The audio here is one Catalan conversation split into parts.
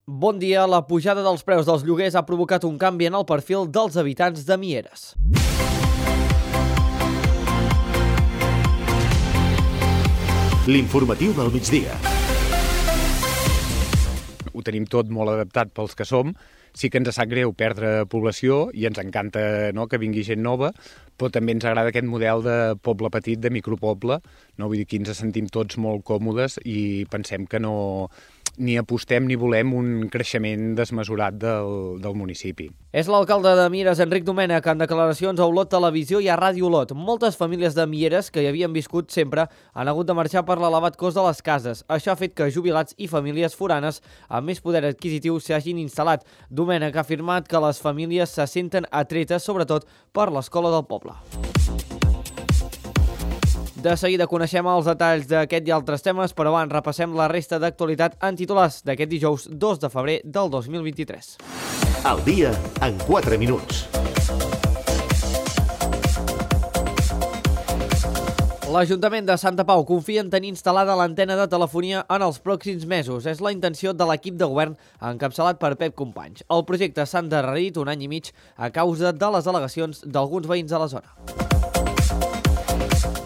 Bon dia. La pujada dels preus dels lloguers ha provocat un canvi en el perfil dels habitants de Mieres. L'informatiu del migdia. Ho tenim tot molt adaptat pels que som. Sí que ens sap greu perdre població i ens encanta, no, que vingui gent nova, però també ens agrada aquest model de poble petit, de micropoble. No? Vull dir, aquí ens sentim tots molt còmodes i pensem que no ni apostem ni volem un creixement desmesurat del municipi. És l'alcalde de Mieres, Enric Domènech, en declaracions a Olot Televisió i a Ràdio Olot. Moltes famílies de Mieres, que hi havien viscut sempre, han hagut de marxar per l'elevat cost de les cases. Això ha fet que jubilats i famílies foranes amb més poder adquisitiu s'hagin instal·lat. Domènech ha afirmat que les famílies se senten atretes, sobretot per l'escola del poble. De seguida coneixem els detalls d'aquest i altres temes, però abans repassem la resta d'actualitat en titulars d'aquest dijous 2 de febrer del 2023. El dia en 4 minuts. L'Ajuntament de Santa Pau confia en tenir instal·lada l'antena de telefonia en els pròxims mesos. És la intenció de l'equip de govern encapçalat per Pep Companys. El projecte s'ha endarrerit un any i mig a causa de les al·legacions d'alguns veïns de la zona.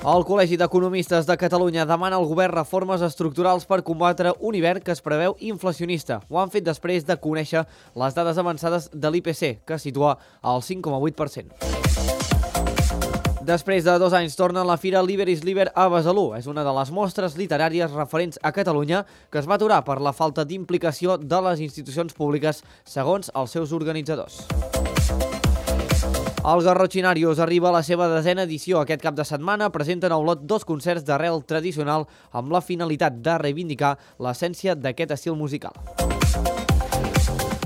El Col·legi d'Economistes de Catalunya demana al govern reformes estructurals per combatre un hivern que es preveu inflacionista. Ho han fet després de conèixer les dades avançades de l'IPC, que situa al 5,8%. Després de 2 anys torna la Fira Liber is Liber a Besalú. És una de les mostres literàries referents a Catalunya que es va aturar per la falta d'implicació de les institucions públiques, segons els seus organitzadors. El Garrotxinarius arriba a la seva 10ª edició. Aquest cap de setmana presenten a Olot 2 concerts d'arrel tradicional amb la finalitat de reivindicar l'essència d'aquest estil musical.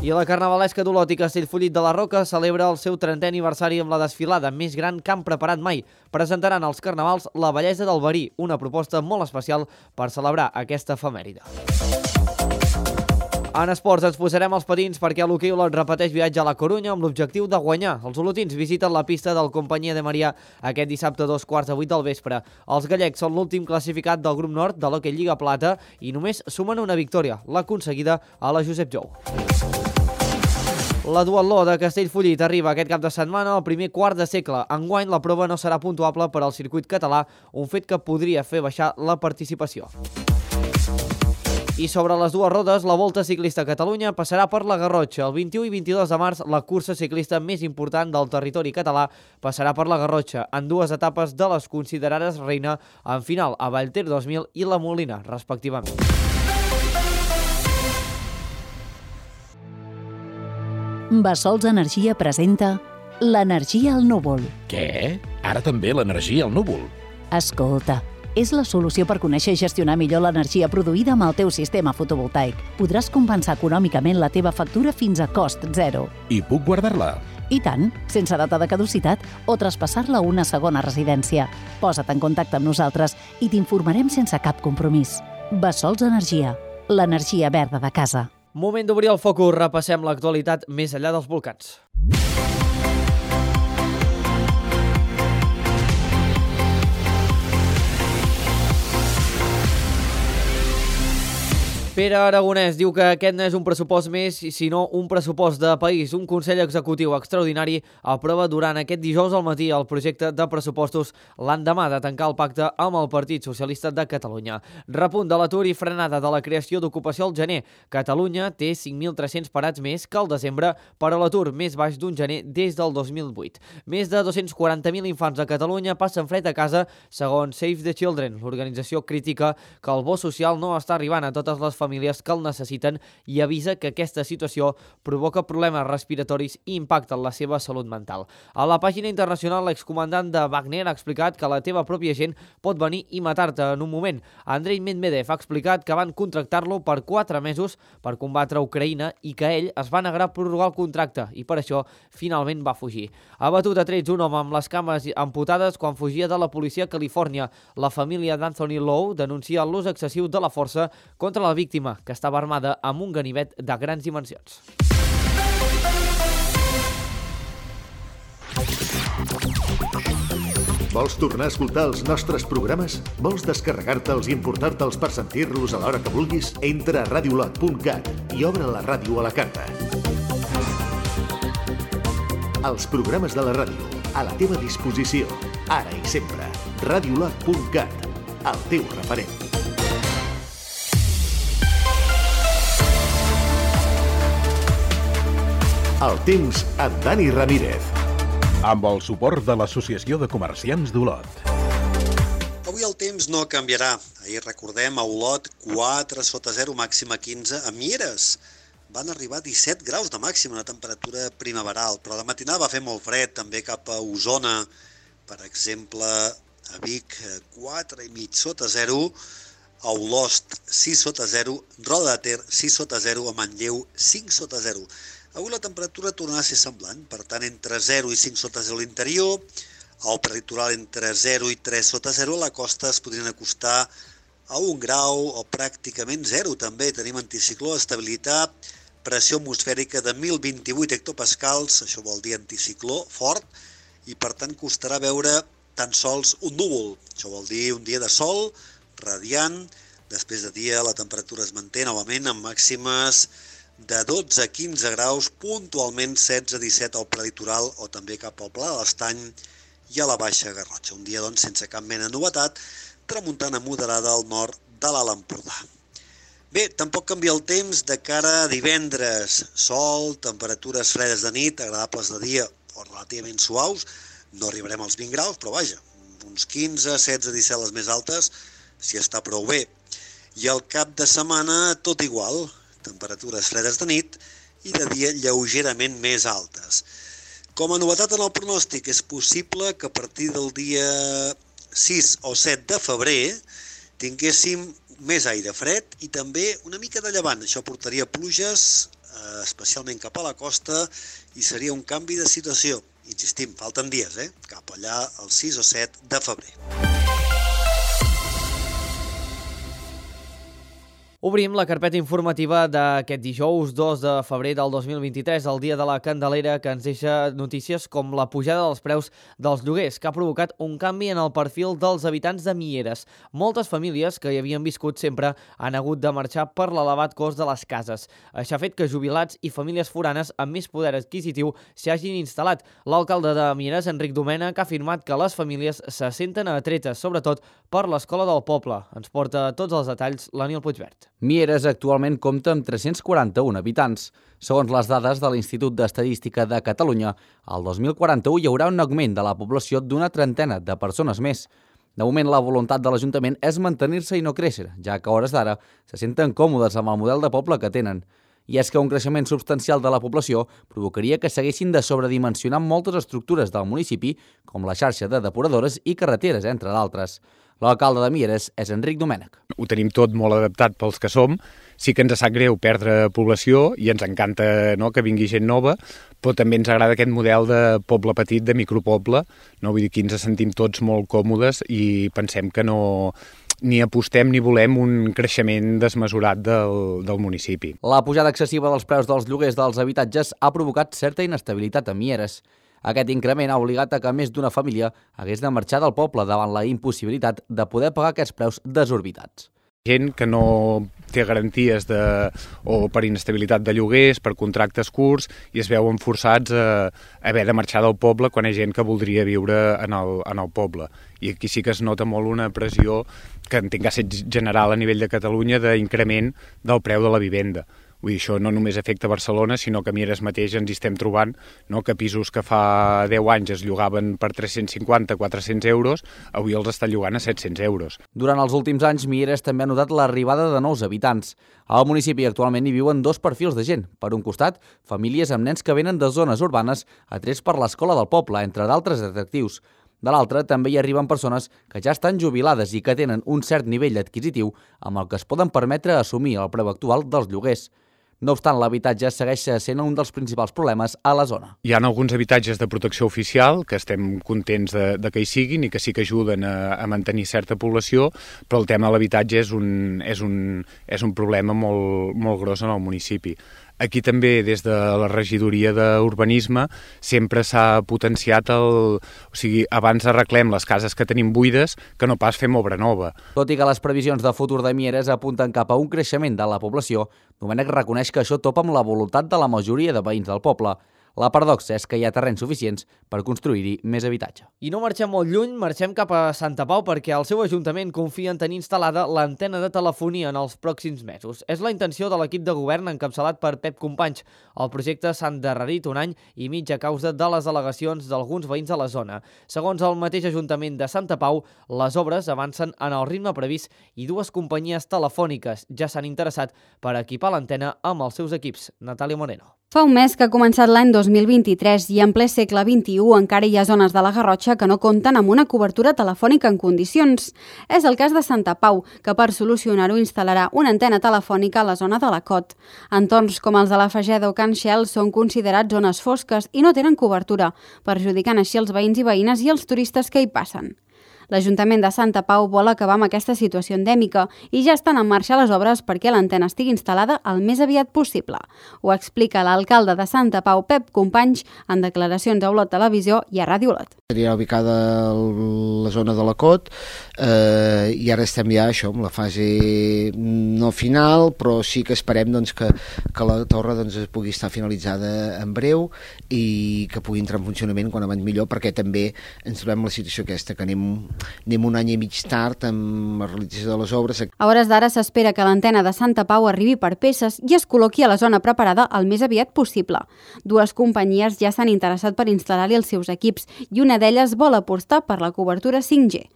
I la carnavalesca d'Olot i Castellfollit de la Roca celebra el seu 30è aniversari amb la desfilada més gran que han preparat mai. Presentaran als carnavals la bellesa del verí, una proposta molt especial per celebrar aquesta efemèride. En esports ens posarem els patins perquè l'hoquei Olot repeteix viatge a la Corunya amb l'objectiu de guanyar. Els olotins visiten la pista del Companyia de Maria aquest dissabte a 7:15 del vespre. Els gallecs són l'últim classificat del grup nord de l'hoquei Lliga Plata i només sumen una victòria, l'aconseguida a la Josep Jou. La duatló de Castellfollit arriba aquest cap de setmana al primer quart de segle. Enguany la prova no serà puntuable per al circuit català, un fet que podria fer baixar la participació. I sobre les dues rodes, la Volta Ciclista a Catalunya passarà per la Garrotxa. El 21 i 22 de març, la cursa ciclista més important del territori català passarà per la Garrotxa, en 2 etapes de les considerades reina, en final a Vallter 2000 i la Molina, respectivament. Bassols Energia presenta l'energia al núvol. Què? Ara també l'energia al núvol? Escolta, és la solució per conèixer i gestionar millor l'energia produïda amb el teu sistema fotovoltaic. Podràs compensar econòmicament la teva factura fins a cost zero. I puc guardar-la? I tant, sense data de caducitat o traspassar-la a una segona residència. Posa't en contacte amb nosaltres i t'informarem sense cap compromís. Bassols Energia, l'energia verda de casa. Moment d'obrir el focus, repassem l'actualitat més enllà dels volcans. Pere Aragonès diu que aquest no és un pressupost més, sinó un pressupost de país. Un Consell Executiu extraordinari aprova durant aquest dijous al matí el projecte de pressupostos l'endemà de tancar el pacte amb el Partit Socialista de Catalunya. Repunt de l'atur i frenada de la creació d'ocupació al gener. Catalunya té 5.300 parats més que al desembre per a l'atur més baix d'un gener des del 2008. Més de 240.000 infants de Catalunya passen fred a casa, segons Save the Children. L'organització critica que el bo social no està arribant a totes les famílies que el necessiten i avisa que aquesta situació provoca problemes respiratoris i impacta en la seva salut mental. A la pàgina internacional, l'excomandant de Wagner ha explicat que la teva pròpia gent pot venir i matar-te en un moment. Andrei Medvedev ha explicat que van contractar-lo per 4 mesos per combatre Ucraïna i que ell es va negar a prorrogar el contracte i per això finalment va fugir. Ha batut a trets un home amb les cames amputades quan fugia de la policia a Califòrnia. La família d'Anthony Lowe denuncia l'ús excessiu de la força contra la víctima, que estava armada amb un ganivet de grans dimensions. Vols tornar a escoltar els nostres programes? Vols descarregar-te'ls i importar-te'ls per sentir-los a l'hora que vulguis? Entra a radiolot.cat i obre la ràdio a la carta. Els programes de la ràdio, a la teva disposició, ara i sempre. Radiolot.cat, el teu referent. El temps amb Dani Ramírez. Amb el suport de l'Associació de Comerciants d'Olot. Avui el temps no canviarà. Ahir recordem a Olot 4 sota 0, màxima 15. A Mieres van arribar a 17 graus de màxima, una temperatura primaveral, però de matinada va fer molt fred, també cap a Osona, per exemple, a Vic 4,5 sota 0, a Olost 6 sota 0, Roda de Ter 6 sota 0, a Manlleu 5 sota 0. Avui la temperatura tornarà a ser semblant, per tant, entre 0 i 5 sota 0 a l'interior, al prelitoral entre 0 i 3 sota 0, a la costa es podrien acostar a 1 grau o pràcticament 0 també. Tenim anticicló, estabilitat, pressió atmosfèrica de 1.028 hectopascals, això vol dir anticicló fort, i per tant costarà veure tan sols un núvol. Això vol dir un dia de sol, radiant, després de dia la temperatura es manté novament amb màximes de 12 a 15 graus, puntualment 16-17 al prelitoral o també cap al Pla de l'Estany i a la Baixa Garrotxa. Un dia, doncs, sense cap mena de novetat, tramuntana moderada al nord de l'Alt Empordà. Bé, tampoc canvia el temps de cara a divendres. Sol, temperatures fredes de nit, agradables de dia o relativament suaus. No arribarem als 20 graus, però vaja, uns 15, 16, 17 les més altes, si està prou bé. I al cap de setmana tot igual, temperatures fredes de nit i de dia lleugerament més altes. Com a novetat en el pronòstic, és possible que a partir del dia 6 o 7 de febrer tinguéssim més aire fred i també una mica de llevant. Això portaria pluges, especialment cap a la costa, i seria un canvi de situació. Insistim, falten dies, cap allà el 6 o 7 de febrer. Obrim la carpeta informativa d'aquest dijous 2 de febrer del 2023, el dia de la Candelera, que ens deixa notícies com la pujada dels preus dels lloguers, que ha provocat un canvi en el perfil dels habitants de Mieres. Moltes famílies que hi havien viscut sempre han hagut de marxar per l'elevat cost de les cases. Això ha fet que jubilats i famílies foranes amb més poder adquisitiu s'hi hagin instal·lat. L'alcalde de Mieres, Enric Domènech, ha afirmat que les famílies se senten atretes, sobretot per l'Escola del Poble. Ens porta tots els detalls l'Aniel Puigvert. Mieres actualment compta amb 341 habitants. Segons les dades de l'Institut d'Estadística de Catalunya, al 2041 hi haurà un augment de la població d'una trentena de persones més. De moment, la voluntat de l'Ajuntament és mantenir-se i no créixer, ja que a hores d'ara se senten còmodes amb el model de poble que tenen. I és que un creixement substancial de la població provocaria que s'haguessin de sobredimensionar moltes estructures del municipi, com la xarxa de depuradores i carreteres, entre d'altres. L'alcalde de Mieres és Enric Domènech. Ho tenim tot molt adaptat pels que som. Sí que ens sap greu perdre població i ens encanta que vingui gent nova, però també ens agrada aquest model de poble petit, de micropoble. Vull dir que ens sentim tots molt còmodes i pensem que no ni apostem ni volem un creixement desmesurat del municipi. La pujada excessiva dels preus dels lloguers dels habitatges ha provocat certa inestabilitat a Mieres. Aquest increment ha obligat a que més d'una família hagués de marxar del poble davant la impossibilitat de poder pagar aquests preus desorbitats. Gent que no té garanties o per inestabilitat de lloguers, per contractes curts, i es veuen forçats a haver de marxar del poble quan hi ha gent que voldria viure en el poble. I aquí sí que es nota molt una pressió que entenc que ha estat general a nivell de Catalunya d'increment del preu de la vivenda. Vull dir, això no només afecta Barcelona, sinó que a Mieres mateix ens hi estem trobant, que pisos que fa 10 anys es llogaven per 350-400 euros, avui els estan llogant a 700 euros. Durant els últims anys, Mieres també ha notat l'arribada de nous habitants. Al municipi actualment hi viuen dos perfils de gent. Per un costat, famílies amb nens que venen de zones urbanes atrets per l'escola del poble, entre d'altres atractius. De l'altra, també hi arriben persones que ja estan jubilades i que tenen un cert nivell adquisitiu amb el que es poden permetre assumir el preu actual dels lloguers. No obstant, l'habitatge segueix sent un dels principals problemes a la zona. Hi ha alguns habitatges de protecció oficial que estem contents de que hi siguin i que sí que ajuden a mantenir certa població, però el tema de l'habitatge és un problema molt gros en el municipi. Aquí també, des de la regidoria d'Urbanisme, sempre s'ha potenciat o sigui, abans arreglem les cases que tenim buides que no pas fem obra nova. Tot i que les previsions de futur de Mieres apunten cap a un creixement de la població, Domènech reconeix que això topa amb la voluntat de la majoria de veïns del poble. La paradoxa és que hi ha terrenys suficients per construir-hi més habitatge. I no marxem molt lluny, marxem cap a Santa Pau perquè el seu ajuntament confia en tenir instal·lada l'antena de telefonia en els pròxims mesos. És la intenció de l'equip de govern encapçalat per Pep Companys. El projecte s'ha endarrerit 1 any i mig a causa de les al·legacions d'alguns veïns de la zona. Segons el mateix Ajuntament de Santa Pau, les obres avancen en el ritme previst i 2 companyies telefòniques ja s'han interessat per equipar l'antena amb els seus equips. Natàlia Moreno. Fa un mes que ha començat l'any 2023 i en ple segle XXI encara hi ha zones de la Garrotxa que no compten amb una cobertura telefònica en condicions. És el cas de Santa Pau, que per solucionar-ho instal·larà una antena telefònica a la zona de la Cot. Entorns com els de la Fageda o Can Xel són considerats zones fosques i no tenen cobertura, perjudicant així els veïns i veïnes i els turistes que hi passen. L'Ajuntament de Santa Pau vol acabar amb aquesta situació endèmica i ja estan en marxa les obres perquè l'antena estigui instal·lada el més aviat possible. Ho explica l'alcalde de Santa Pau, Pep Companys, en declaracions a Olot Televisió i a Ràdio Olot. Seria ubicada a la zona de la Cot i ara estem ja amb la fase no final, però sí que esperem que la torre es pugui estar finalitzada en breu i que pugui entrar en funcionament quan abans millor, perquè també ens trobem la situació aquesta, que anem 1 any i mig tard amb la realització de les obres. A hores d'ara s'espera que l'antena de Santa Pau arribi per peces i es col·loqui a la zona preparada el més aviat possible. 2 companyies ja s'han interessat per instal·lar-hi els seus equips i una d'elles vol apostar per la cobertura 5G.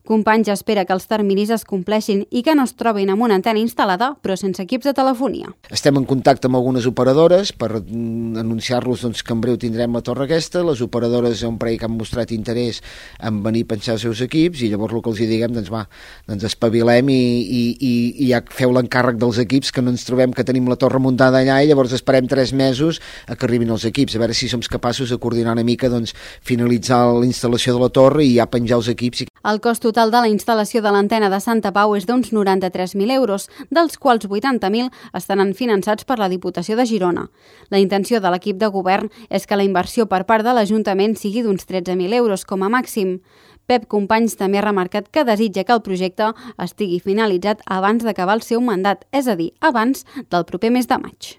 Companys espera que els terminis es compleixin i que no es trobin amb una antena instal·lada, però sense equips de telefonia. Estem en contacte amb algunes operadores per anunciar-los que en breu tindrem la torre aquesta. Les operadores hi ha un parell que han mostrat interès en venir a penjar els seus equips i llavors el que els diguem, espavilem i ja feu l'encàrrec dels equips, que no ens trobem que tenim la torre muntada allà i llavors esperem 3 mesos a que arribin els equips, a veure si som capaços de coordinar una mica, finalitzar la instal·lació de la torre i ja penjar els equips. El cost total de la instal·lació de l'antena de Santa Pau és d'uns 93.000 euros, dels quals 80.000 estaran finançats per la Diputació de Girona. La intenció de l'equip de govern és que la inversió per part de l'Ajuntament sigui d'uns 13.000 euros com a màxim. Pep Companys també ha remarcat que desitja que el projecte estigui finalitzat abans d'acabar el seu mandat, és a dir, abans del proper mes de maig.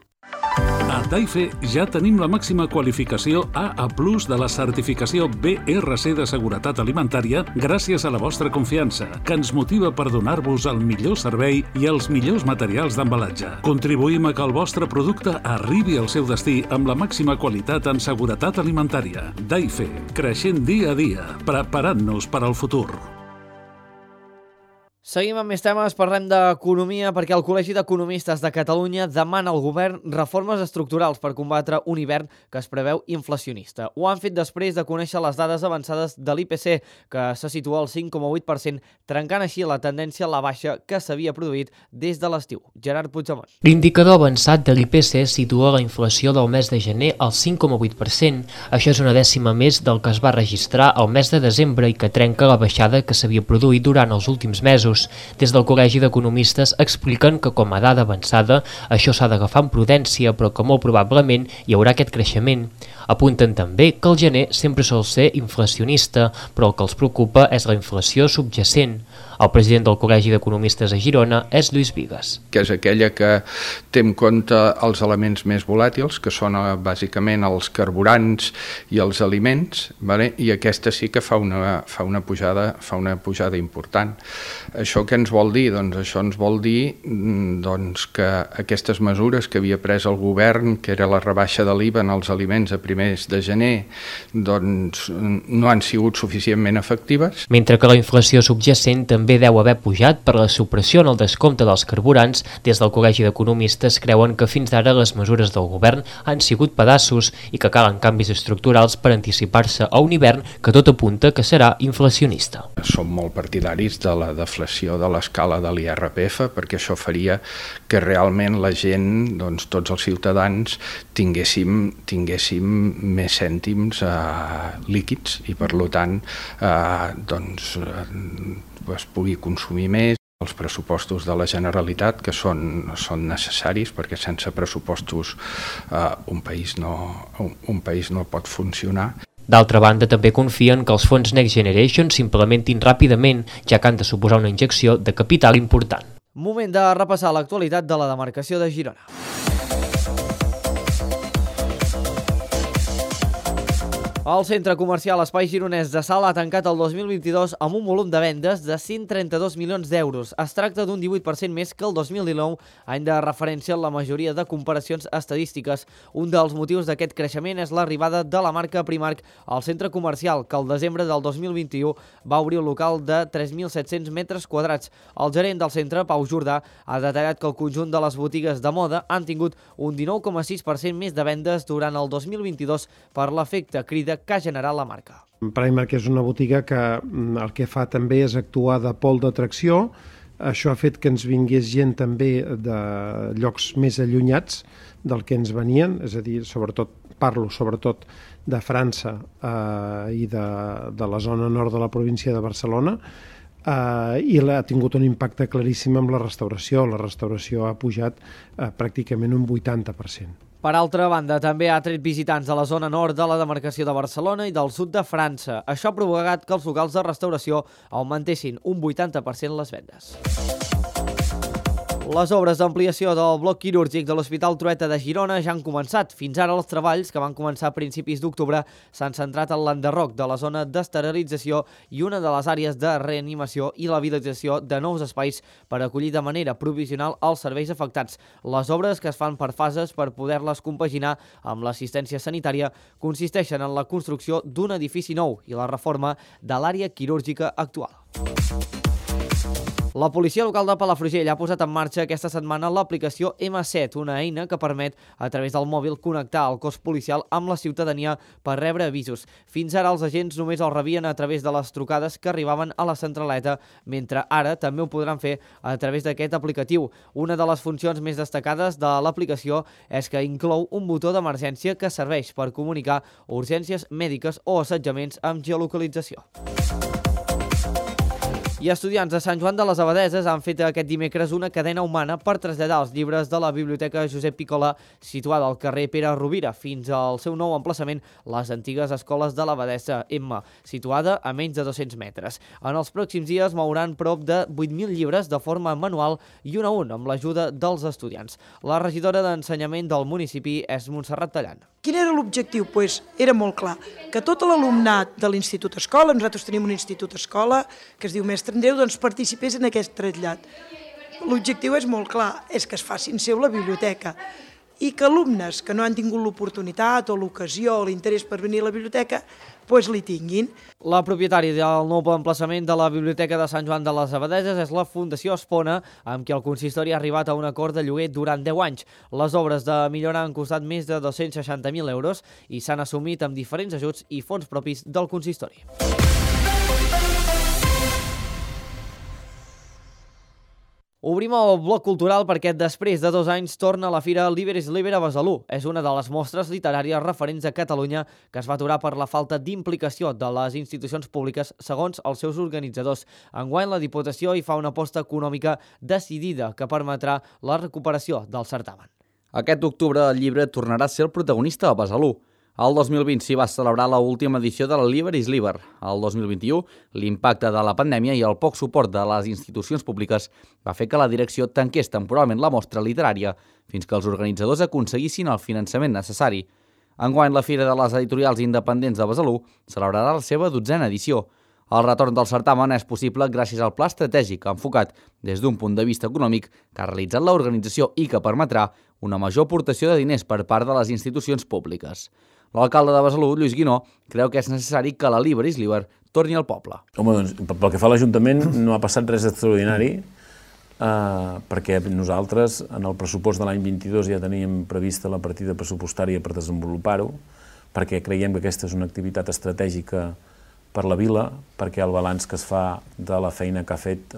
A Taife ja tenim la màxima qualificació AA+ de la certificació BRC de seguretat alimentària gràcies a la vostra confiança, que ens motiva per donar-vos el millor servei i els millors materials d'embalatge. Contribuïm a que el vostre producte arribi al seu destí amb la màxima qualitat en seguretat alimentària. Taife, creixent dia a dia, preparant-nos per al futur. Seguim amb més temes, parlem d'economia perquè el Col·legi d'Economistes de Catalunya demana al govern reformes estructurals per combatre un hivern que es preveu inflacionista. Ho han fet després de conèixer les dades avançades de l'IPC, que se situa al 5,8%, trencant així la tendència a la baixa que s'havia produït des de l'estiu. Gerard Puigdemont. L'indicador avançat de l'IPC situa la inflació del mes de gener al 5,8%. Això és una dècima més del que es va registrar al mes de desembre i que trenca la baixada que s'havia produït durant els últims mesos. Des del Col·legi d'Economistes expliquen que com a dada avançada això s'ha d'agafar amb prudència, però que molt probablement hi haurà aquest creixement. Apunten també que el gener sempre sol ser inflacionista, però el que els preocupa és la inflació subjacent. El president del Col·legi d'Economistes a Girona és Lluís Bigues. Que és aquella que té en compte els elements més volàtils, que són bàsicament els carburants i els aliments, i aquesta sí que fa una pujada important. Això què ens vol dir? Doncs això ens vol dir que aquestes mesures que havia pres el govern, que era la rebaixa de l'IVA en els aliments a primers de gener, no han sigut suficientment efectives. Mentre que la inflació subjacent també deu haver pujat per la supressió en el descompte dels carburants, des del Col·legi d'Economistes creuen que fins d'ara les mesures del govern han sigut pedaços i que calen canvis estructurals per anticipar-se a un hivern que tot apunta que serà inflacionista. Som molt partidaris de la deflació de l'escala de l'IRPF, perquè això faria que realment la gent, tots els ciutadans, tinguéssim més cèntims líquids i per tant es pugui consumir més. Els pressupostos de la Generalitat, que són necessaris, perquè sense pressupostos un país no pot funcionar. D'altra banda, també confien que els fons Next Generation s'implementin ràpidament, ja que han de suposar una injecció de capital important. Moment de repassar l'actualitat de la demarcació de Girona. El centre comercial Espai Gironès de Salt ha tancat el 2022 amb un volum de vendes de 132 milions d'euros. Es tracta d'un 18% més que el 2019, any de referència en la majoria de comparacions estadístiques. Un dels motius d'aquest creixement és l'arribada de la marca Primark al centre comercial, que al desembre del 2021 va obrir un local de 3.700 metres quadrats. El gerent del centre, Pau Jordà, ha detallat que el conjunt de les botigues de moda han tingut un 19,6% més de vendes durant el 2022 per l'efecte crida que ha generat la marca. Primark és una botiga que el que fa també és actuar de pol d'atracció. Això ha fet que ens vingués gent també de llocs més allunyats del que ens venien, és a dir, parlo sobretot de França i de la zona nord de la província de Barcelona, i ha tingut un impacte claríssim amb la restauració. La restauració ha pujat pràcticament un 80%. Per altra banda, també ha tret visitants de la zona nord de la demarcació de Barcelona i del sud de França. Això ha provocat que els locals de restauració augmentessin un 80% les vendes. Les obres d'ampliació del bloc quirúrgic de l'Hospital Trueta de Girona ja han començat. Fins ara els treballs, que van començar a principis d'octubre, s'han centrat en l'enderroc de la zona d'esterilització i una de les àrees de reanimació i l'habilitació de nous espais per acollir de manera provisional els serveis afectats. Les obres, que es fan per fases per poder-les compaginar amb l'assistència sanitària, consisteixen en la construcció d'un edifici nou i la reforma de l'àrea quirúrgica actual. La policia local de Palafrugell ha posat en marxa aquesta setmana l'aplicació M7, una eina que permet, a través del mòbil, connectar el cos policial amb la ciutadania per rebre avisos. Fins ara els agents només els rebien a través de les trucades que arribaven a la centraleta, mentre ara també ho podran fer a través d'aquest aplicatiu. Una de les funcions més destacades de l'aplicació és que inclou un botó d'emergència que serveix per comunicar urgències mèdiques o assetjaments amb geolocalització. I estudiants de Sant Joan de les Abadeses han fet aquest dimecres una cadena humana per traslladar els llibres de la Biblioteca Josep Piccola, situada al carrer Pere Rovira, fins al seu nou emplaçament, les antigues escoles de l'Abadessa M, situada a menys de 200 metres. En els pròxims dies mouran prop de 8.000 llibres de forma manual i un a un amb l'ajuda dels estudiants. La regidora d'Ensenyament del municipi és Montserrat Tallant. Quin era l'objectiu? Era molt clar, que tot l'alumnat de l'Institut Escola, nosaltres tenim un Institut Escola que es diu Mestre Andreu, doncs participés en aquest trasllat. L'objectiu és molt clar, és que es facin seu la biblioteca i que alumnes que no han tingut l'oportunitat o l'ocasió o l'interès per venir a la biblioteca, doncs li tinguin. La propietària del nou emplaçament de la Biblioteca de Sant Joan de les Abadeses és la Fundació Espona, amb qui el consistori ha arribat a un acord de lloguer durant 10 anys. Les obres de millora han costat més de 260.000 euros i s'han assumit amb diferents ajuts i fons propis del consistori. Obrim el bloc cultural perquè després de 2 anys torna la Fira Liber is Liber a Besalú. És una de les mostres literàries referents a Catalunya que es va aturar per la falta d'implicació de les institucions públiques segons els seus organitzadors. Enguany la Diputació hi fa una aposta econòmica decidida que permetrà la recuperació del certamen. Aquest octubre el llibre tornarà a ser el protagonista a Besalú. El 2020 s'hi va celebrar l'última edició de la Liber is Liber. El 2021, l'impacte de la pandèmia i el poc suport de les institucions públiques va fer que la direcció tanqués temporalment la mostra literària fins que els organitzadors aconseguissin el finançament necessari. Enguany, la Fira de les Editorials Independents de Besalú celebrarà la seva 12a edició. El retorn del certamen és possible gràcies al pla estratègic enfocat des d'un punt de vista econòmic que ha realitzat l'organització i que permetrà una major aportació de diners per part de les institucions públiques. L'alcalde de Besalú, Lluís Guinó, creu que és necessari que la Liber is Liber torni al poble. Home, doncs, pel que fa a l'Ajuntament no ha passat res extraordinari, perquè nosaltres en el pressupost de l'any 22 ja teníem prevista la partida pressupostària per desenvolupar-ho, perquè creiem que aquesta és una activitat estratègica per la vila, perquè el balanç que es fa de la feina que ha fet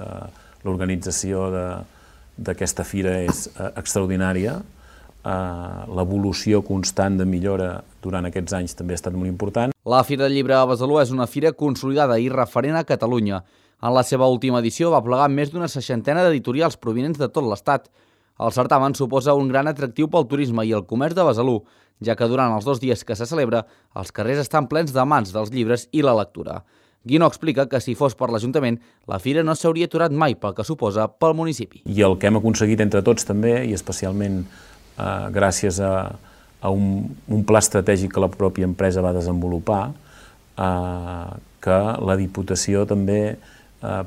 l'organització d'aquesta fira és extraordinària. L'evolució constant de millora durant aquests anys també ha estat molt important. La Fira del Llibre a Besalú és una fira consolidada i referent a Catalunya. En la seva última edició va plegar més d'una 60 d'editorials provinents de tot l'Estat. El certamen suposa un gran atractiu pel turisme i el comerç de Besalú, ja que durant els 2 dies que se celebra, els carrers estan plens d'amants dels llibres i la lectura. Guinó explica que si fos per l'Ajuntament, la fira no s'hauria aturat mai pel que suposa pel municipi. I el que hem aconseguit entre tots també, i especialment gràcies a un pla estratègic que la pròpia empresa va desenvolupar, que la Diputació també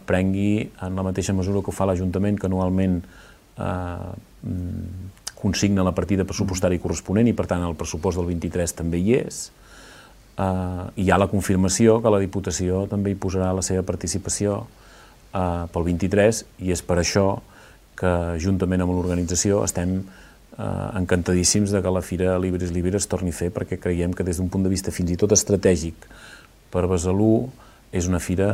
prengui en la mateixa mesura que ho fa l'Ajuntament, que anualment consigna la partida pressupostària corresponent i per tant el pressupost del 23 també hi és. Hi ha la confirmació que la Diputació també hi posarà la seva participació pel 23 i és per això que juntament amb l'organització estem encantadíssims de que la Fira Libris Libres es torni a fer perquè creiem que des d'un punt de vista fins i tot estratègic per Besalú és una fira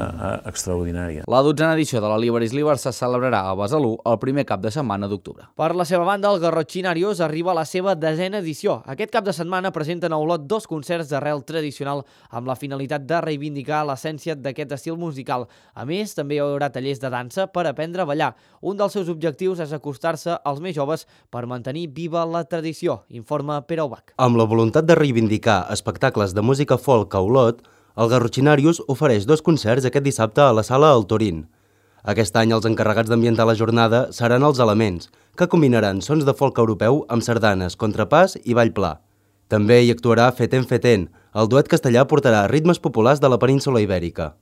extraordinària. La 12a edició de la Libris Libres se celebrarà a Besalú el primer cap de setmana d'octubre. Per la seva banda, el Garrotxinarios arriba a la seva 10a edició. Aquest cap de setmana presenten a Olot 2 concerts d'arrel tradicional amb la finalitat de reivindicar l'essència d'aquest estil musical. A més, també hi haurà tallers de dansa per aprendre a ballar. Un dels seus objectius és acostar-se als més joves per mantenir viva la tradició, informa Pere Ubach. Amb la voluntat de reivindicar espectacles de música folk a Olot, el Garrotxinarios ofereix 2 concerts aquest dissabte a la sala El Torín. Aquest any els encarregats d'ambientar la jornada seran els Elements, que combinaran sons de folk europeu amb sardanes, contrapàs i ball pla. També hi actuarà Feten Feten, el duet castellà portarà ritmes populars de la península Ibèrica.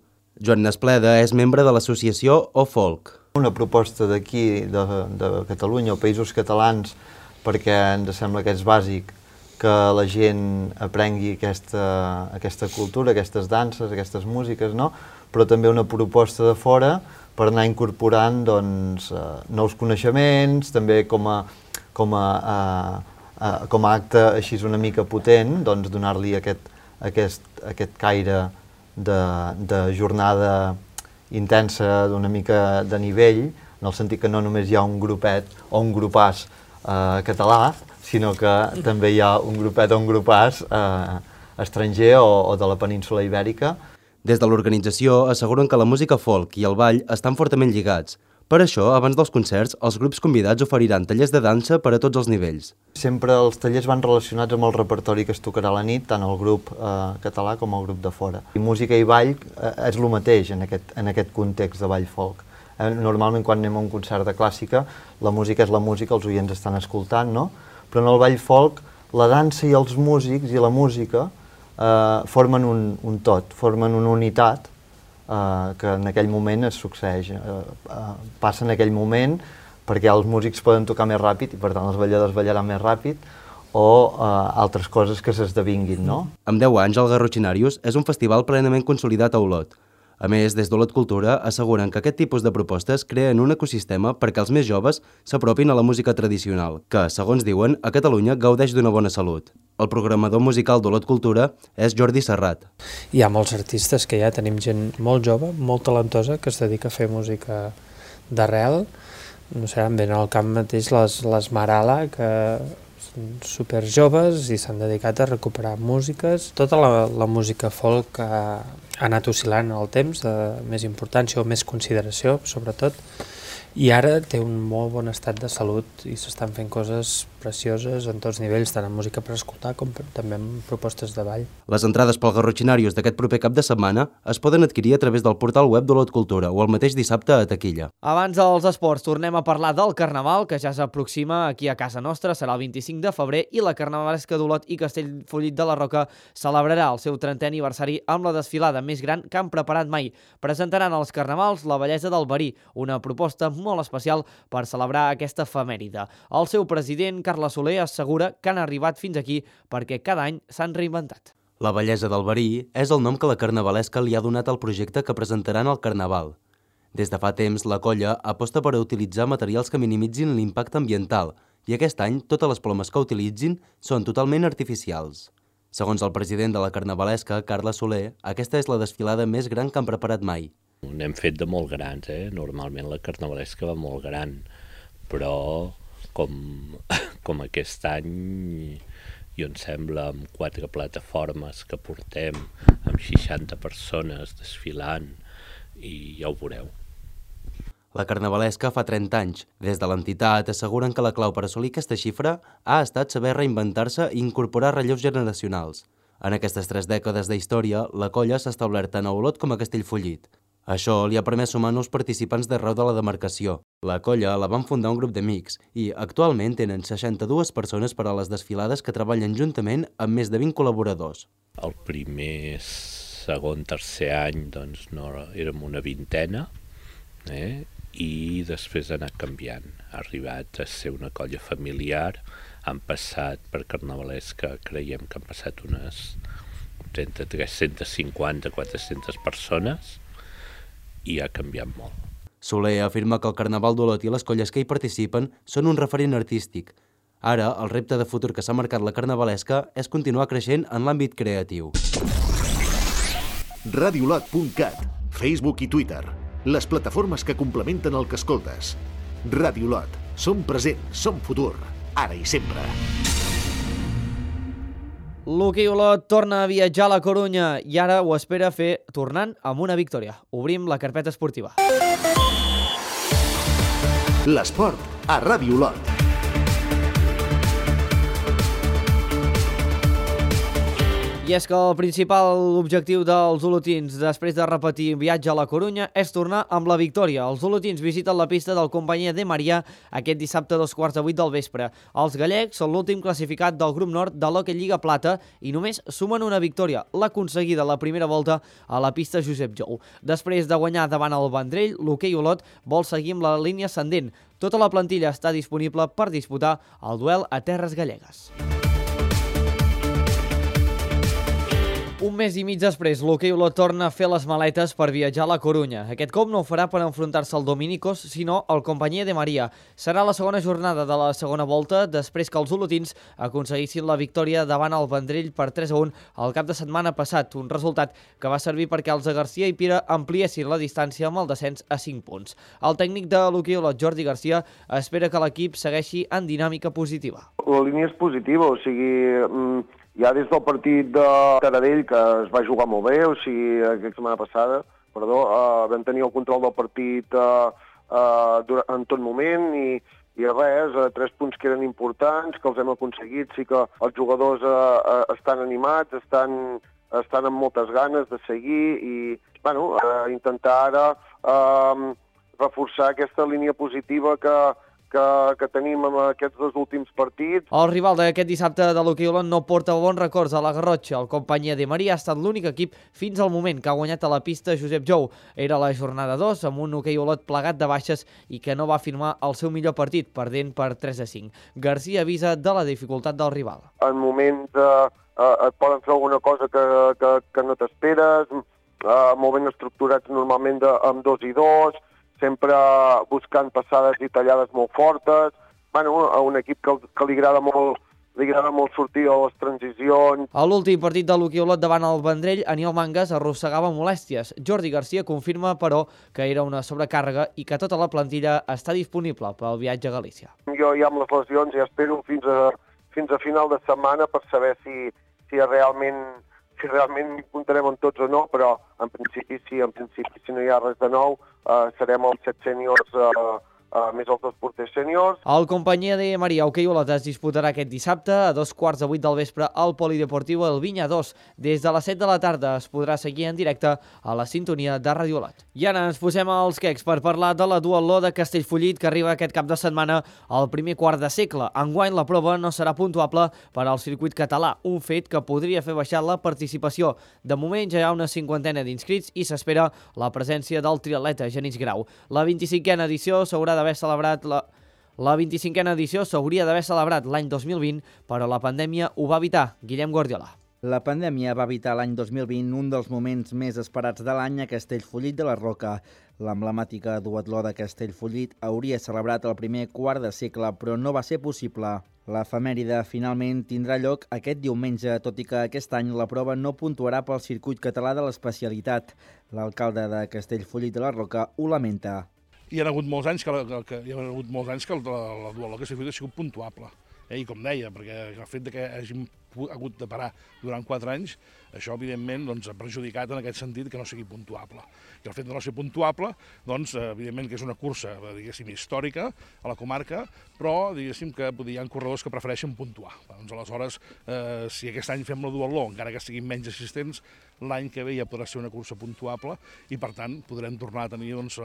Joan Nespleda és membre de l'associació O Folk. Una proposta d'aquí, de Catalunya o Països Catalans, perquè ens sembla que és bàsic que la gent aprengui aquesta cultura, aquestes danses, aquestes músiques, no? Però també una proposta de fora per anar incorporant nous coneixements, també com a acte així una mica potent, donar-li aquest caire de jornada intensa, d'una mica de nivell, en el sentit que no només hi ha un grupet o un grupàs català, sinó que també hi ha un grupet o un grupàs estranger o de la península Ibèrica. Des de l'organització asseguren que la música folk i el ball estan fortament lligats. Per això, abans dels concerts, els grups convidats oferiran tallers de dansa per a tots els nivells. Sempre els tallers van relacionats amb el repertori que es tocarà a la nit, tant el grup català com el grup de fora. I música i ball és el mateix en aquest context de ball folk. Normalment quan anem a un concert de clàssica, la música és la música, els oients estan escoltant, no? Però en el ball folk, la dansa i els músics i la música formen un tot, formen una unitat que en aquell moment es succeeix. Passa en aquell moment perquè els músics poden tocar més ràpid i per tant els balladors ballaran més ràpid o altres coses que s'esdevinguin, no? Amb 10 anys, el Garrotxinarios és un festival plenament consolidat a Olot. A més, des d'Olot Cultura asseguren que aquest tipus de propostes creen un ecosistema perquè els més joves s'apropin a la música tradicional, que, segons diuen, a Catalunya gaudeix d'una bona salut. El programador musical d'Olot Cultura és Jordi Serrat. Hi ha molts artistes que ja tenim gent molt jove, molt talentosa, que es dedica a fer música d'arrel. No sé, em venen al cap mateix les Marala, que són superjoves i s'han dedicat a recuperar músiques. Tota la música folk ha anat oscil·lant en el temps, de més importància o més consideració, sobretot, i ara té un molt bon estat de salut i s'estan fent coses precioses en tots nivells, tant en música per escoltar com també en propostes de ball. Les entrades pel Garrotxinarios d'aquest proper cap de setmana es poden adquirir a través del portal web d'Olot Cultura o el mateix dissabte a taquilla. Abans dels esports, tornem a parlar del Carnaval, que ja s'aproxima aquí a casa nostra, serà el 25 de febrer, i la Carnavalesca d'Olot i Castellfollit de la Roca celebrarà el seu 30è aniversari amb la desfilada més gran que han preparat mai. Presentaran als Carnavals la bellesa del verí, una proposta molt especial per celebrar aquesta efemèride. El seu president, Carles Soler, assegura que han arribat fins aquí perquè cada any s'han reinventat. La bellesa del verí és el nom que la Carnavalesca li ha donat al projecte que presentaran al Carnaval. Des de fa temps, la colla aposta per utilitzar materials que minimitzin l'impacte ambiental i aquest any totes les plomes que utilitzin són totalment artificials. Segons el president de la Carnavalesca, Carles Soler, aquesta és la desfilada més gran que han preparat mai. N'hem fet de molt grans, Normalment la Carnavalesca va molt gran, però com aquest any, jo em sembla, amb 4 plataformes que portem, amb 60 persones desfilant i ja ho veureu. La carnavalesca fa 30 anys. Des de l'entitat asseguren que la clau per assolir aquesta xifra ha estat saber reinventar-se i incorporar relleus generacionals. En aquestes 3 dècades d'història, la colla s'ha establert tant a Olot com a Castellfollit. Això li ha permès sumar nous participants d'arreu de la demarcació. La colla la van fundar un grup d'amics i actualment tenen 62 persones per a les desfilades que treballen juntament amb més de 20 col·laboradors. El primer, segon, tercer any doncs, no, érem una vintena, i després ha anat canviant. Ha arribat a ser una colla familiar, han passat per carnavalesca, creiem que han passat unes entre 350 400 persones, i ha canviat molt. Soler afirma que el Carnaval d'Olot i les colles que hi participen són un referent artístic. Ara, el repte de futur que s'ha marcat la carnavalesca és continuar creixent en l'àmbit creatiu. Radiolot.cat, Facebook i Twitter, les plataformes que complementen el que escoltes. Radiolot, som present, som futur, ara i sempre. L'hoquei Olot torna a viatjar a la Corunya i ara ho espera fer tornant amb una victòria. Obrim la carpeta esportiva. L'esport a Ràdio Olot. I és que el principal objectiu dels olotins després de repetir viatge a la Corunya és tornar amb la victòria. Els olotins visiten la pista del Companyia de Maria aquest dissabte a 7:45 del vespre. Els gallecs són l'últim classificat del grup nord de l'Hockey Lliga Plata i només sumen una victòria, l'aconseguida a la primera volta a la pista Josep Jou. Després de guanyar davant el Vendrell, l'hoquei Olot vol seguir amb la línia ascendent. Tota la plantilla està disponible per disputar el duel a terres gallegues. Un mes i mig després, l'hoquei Olot torna a fer les maletes per viatjar a la Corunya. Aquest cop no ho farà per enfrontar-se al Dominicos, sinó al Companyia de Maria. Serà la segona jornada de la segona volta després que els olotins aconseguissin la victòria davant el Vendrell per 3-1 el cap de setmana passat, un resultat que va servir perquè els de Garcia i Pira ampliessin la distància amb el descens a 5 punts. El tècnic de l'hoquei Olot, Jordi Garcia, espera que l'equip segueixi en dinàmica positiva. La línia és positiva, o sigui, ja des del partit de Taradell, que es va jugar molt bé, o sigui, aquesta setmana passada, vam tenir el control del partit en tot moment i res, 3 punts que eren importants, que els hem aconseguit, sí que els jugadors estan animats, estan amb moltes ganes de seguir i intentar ara reforçar aquesta línia positiva que tenim amb aquests 2 últims partits. El rival d'aquest dissabte de l'hoquei Olot no porta bons records a la Garrotxa. El Companyia de Maria ha estat l'únic equip fins al moment que ha guanyat a la pista Josep Jou. Era la jornada 2 amb un hoquei Olot plagat de baixes i que no va firmar el seu millor partit, perdent per 3-5. Garcia avisa de la dificultat del rival. En moments et poden fer alguna cosa que no t'esperes, molt ben estructurats normalment amb 2 i 2, sempre buscant passades i tallades molt fortes. A un equip que li agrada molt sortir a les transicions. A l'últim partit de l'hoquei Olot davant el Vendrell, Aniol Mangas arrossegava molèsties. Jordi Garcia confirma, però, que era una sobrecàrrega i que tota la plantilla està disponible pel viatge a Galícia. Jo ja amb les lesions ja espero fins a final de setmana per saber si realment m'hi comptarem amb tots o no, però en principi si no hi ha res de nou, serem els 7 sèniors més els 2 porters sèniors. El Companyia de Maria hoquei Olot es disputarà aquest dissabte a 7:45 del vespre al Polideportiu El Vinya 2. Des de les 7 de la tarda es podrà seguir en directe a la sintonia de Ràdio Olot. I ara ens posem als quecs per parlar de la duatló de Castellfollit que arriba aquest cap de setmana al primer quart de segle. Enguany la prova no serà puntuable per al circuit català, un fet que podria fer baixar la participació. De moment ja hi ha una 50ena d'inscrits i s'espera la presència del triatleta Genís Grau. La 25a edició s'haurà d'haver celebrat la 25a edició s'hauria d'haver celebrat l'any 2020, però la pandèmia ho va evitar. Guillem Guardiola. La pandèmia va evitar l'any 2020 un dels moments més esperats de l'any a Castellfollit de la Roca. L'emblemàtica duatló de Castellfollit hauria celebrat el primer quart de segle, però no va ser possible. L'efemèride finalment tindrà lloc aquest diumenge, tot i que aquest any la prova no puntuarà pel circuit català de l'especialitat. L'alcalde de Castellfollit de la Roca ho lamenta. Hi ha hagut molts anys que la duatló que s'ha fet ha sigut puntuable. I com deia, perquè el fet que hàgim hagut de parar durant 4 anys, això evidentment doncs, ha perjudicat en aquest sentit que no sigui puntuable. I el fet de no ser puntuable, doncs, evidentment que és una cursa, diguéssim, històrica a la comarca, però diguéssim que hi ha corredors que prefereixen puntuar. Doncs aleshores, si aquest any fem la duatló, encara que siguin menys assistents, l'any que ve ja podrà ser una cursa puntuable i per tant podrem tornar a tenir doncs,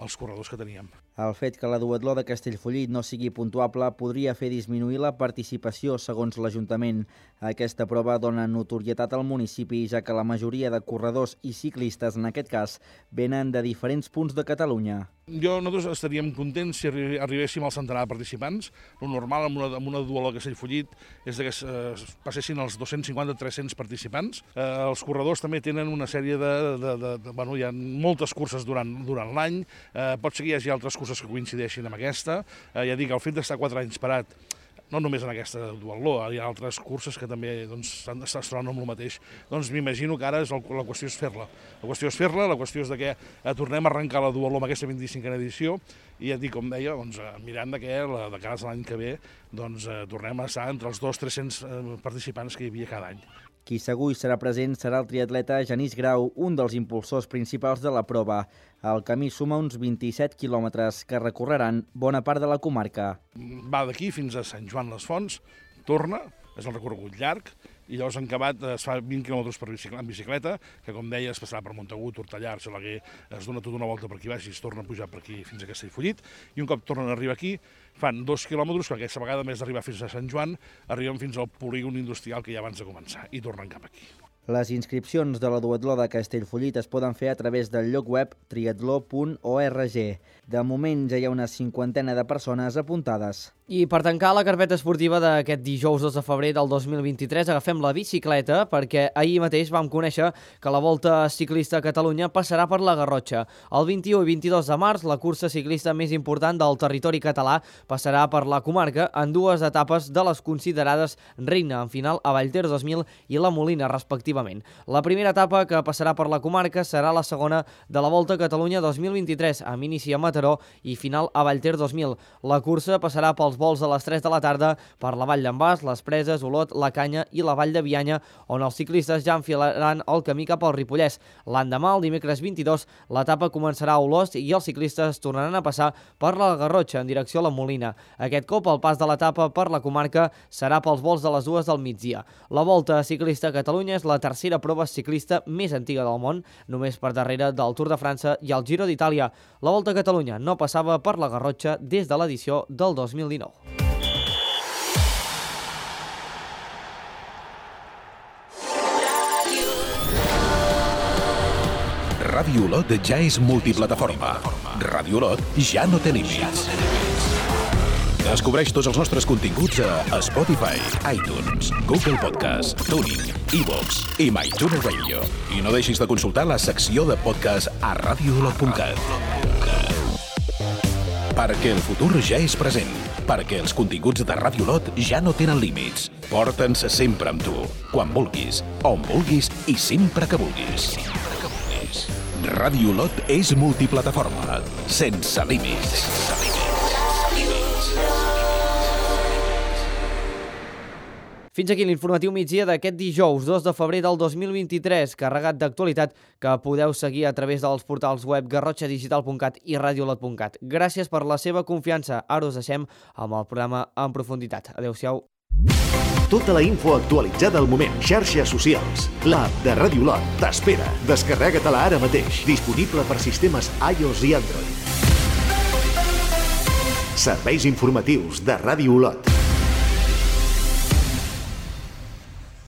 els corredors que teníem. El fet que la duatló de Castellfollit no sigui puntuable podria fer disminuir la participació, segons l'Ajuntament. Aquesta prova dona notorietat al municipi, ja que la majoria de corredors i ciclistes, en aquest cas, venen de diferents punts de Catalunya. Nosaltres estaríem contents si arribéssim al centenar de participants. El normal amb una duatló de Castellfollit és que passessin els 250-300 participants. Els corredors també tenen una sèrie hi ha moltes curses durant l'any, pot ser que hi hagi altres curses que coincideixin amb aquesta. Ja dic, el fet d'estar 4 anys parat, no només en aquesta duatló, hi ha altres curses que també es troben amb el mateix. Doncs m'imagino que ara la qüestió és fer-la. La qüestió és que tornem a arrencar la duatló amb aquesta 25a edició i ja dic, com deia, mirant de cara a l'any que ve, tornem a estar entre els 200-300 participants que hi havia cada any. Qui segur hi serà present serà el triatleta Genís Grau, un dels impulsors principals de la prova. El camí suma uns 27 quilòmetres que recorreran bona part de la comarca. Va d'aquí fins a Sant Joan les Fonts, torna, és el recorregut llarg, i llavors en acabat es fa 20 quilòmetres en bicicleta, que com deia es passarà per Montagut, Hortallà, Argelaguer, es dona tota una volta per aquí baix i es torna a pujar per aquí fins a Castellfollit, i un cop tornen a arribar aquí fan 2 quilòmetres, que aquesta vegada, a més d'arribar fins a Sant Joan, arriben fins al polígon industrial que hi ha abans de començar, i tornen cap aquí. Les inscripcions de la duatló de Castellfollit es poden fer a través del lloc web triatló.org. De moment ja hi ha una 50 de persones apuntades. I per tancar la carpeta esportiva d'aquest dijous 2 de febrer del 2023 agafem la bicicleta perquè ahir mateix vam conèixer que la Volta Ciclista a Catalunya passarà per la Garrotxa. El 21 i 22 de març la cursa ciclista més important del territori català passarà per la comarca en 2 etapes de les considerades reina en final a Vallter 2000 i la Molina respectivament. La primera etapa que passarà per la comarca serà la segona de la Volta a Catalunya 2023 amb inici a Mataró i final a Vallter 2000. La cursa passarà pels vols a les 3 de la tarda per la Vall d'en Bas, les Preses, Olot, la Canya i la Vall de Bianya, on els ciclistes ja enfilaran el camí cap al Ripollès. L'endemà, el dimecres 22, l'etapa començarà a Olost i els ciclistes tornaran a passar per la Garrotxa en direcció a la Molina. Aquest cop, el pas de l'etapa per la comarca serà pels vols de les 2 del migdia. La Volta Ciclista a Catalunya és la tercera prova ciclista més antiga del món, només per darrere del Tour de França i el Giro d'Itàlia. La Volta a Catalunya no passava per la Garrotxa des de l'edició del 2019. Ràdio Olot ja és multiplataforma. Ràdio Olot ja no té límits. Descobreix tots els nostres continguts a Spotify, iTunes, Google Podcast, TuneIn, iVoox i MyTuner Radio. I no deixis de consultar la secció de podcast a radioolot.cat. Perquè el futur ja és present. Perquè els continguts de Ràdio Olot ja no tenen límits. Porta'ns sempre amb tu, quan vulguis, on vulguis i sempre que vulguis. Ràdio Olot és multiplataforma, sense límits. Fins aquí l'informatiu migdia d'aquest dijous 2 de febrer del 2023, carregat d'actualitat que podeu seguir a través dels portals web garrotxadigital.cat i radioolot.cat. Gràcies per la seva confiança. Ara us deixem amb el programa en profunditat. Adéu-siau. Tota la info actualitzada al moment. Xarxes socials. L'app de Ràdio Olot t'espera. Descarrega-te-la ara mateix. Disponible per sistemes iOS i Android. Serveis informatius de Ràdio Olot.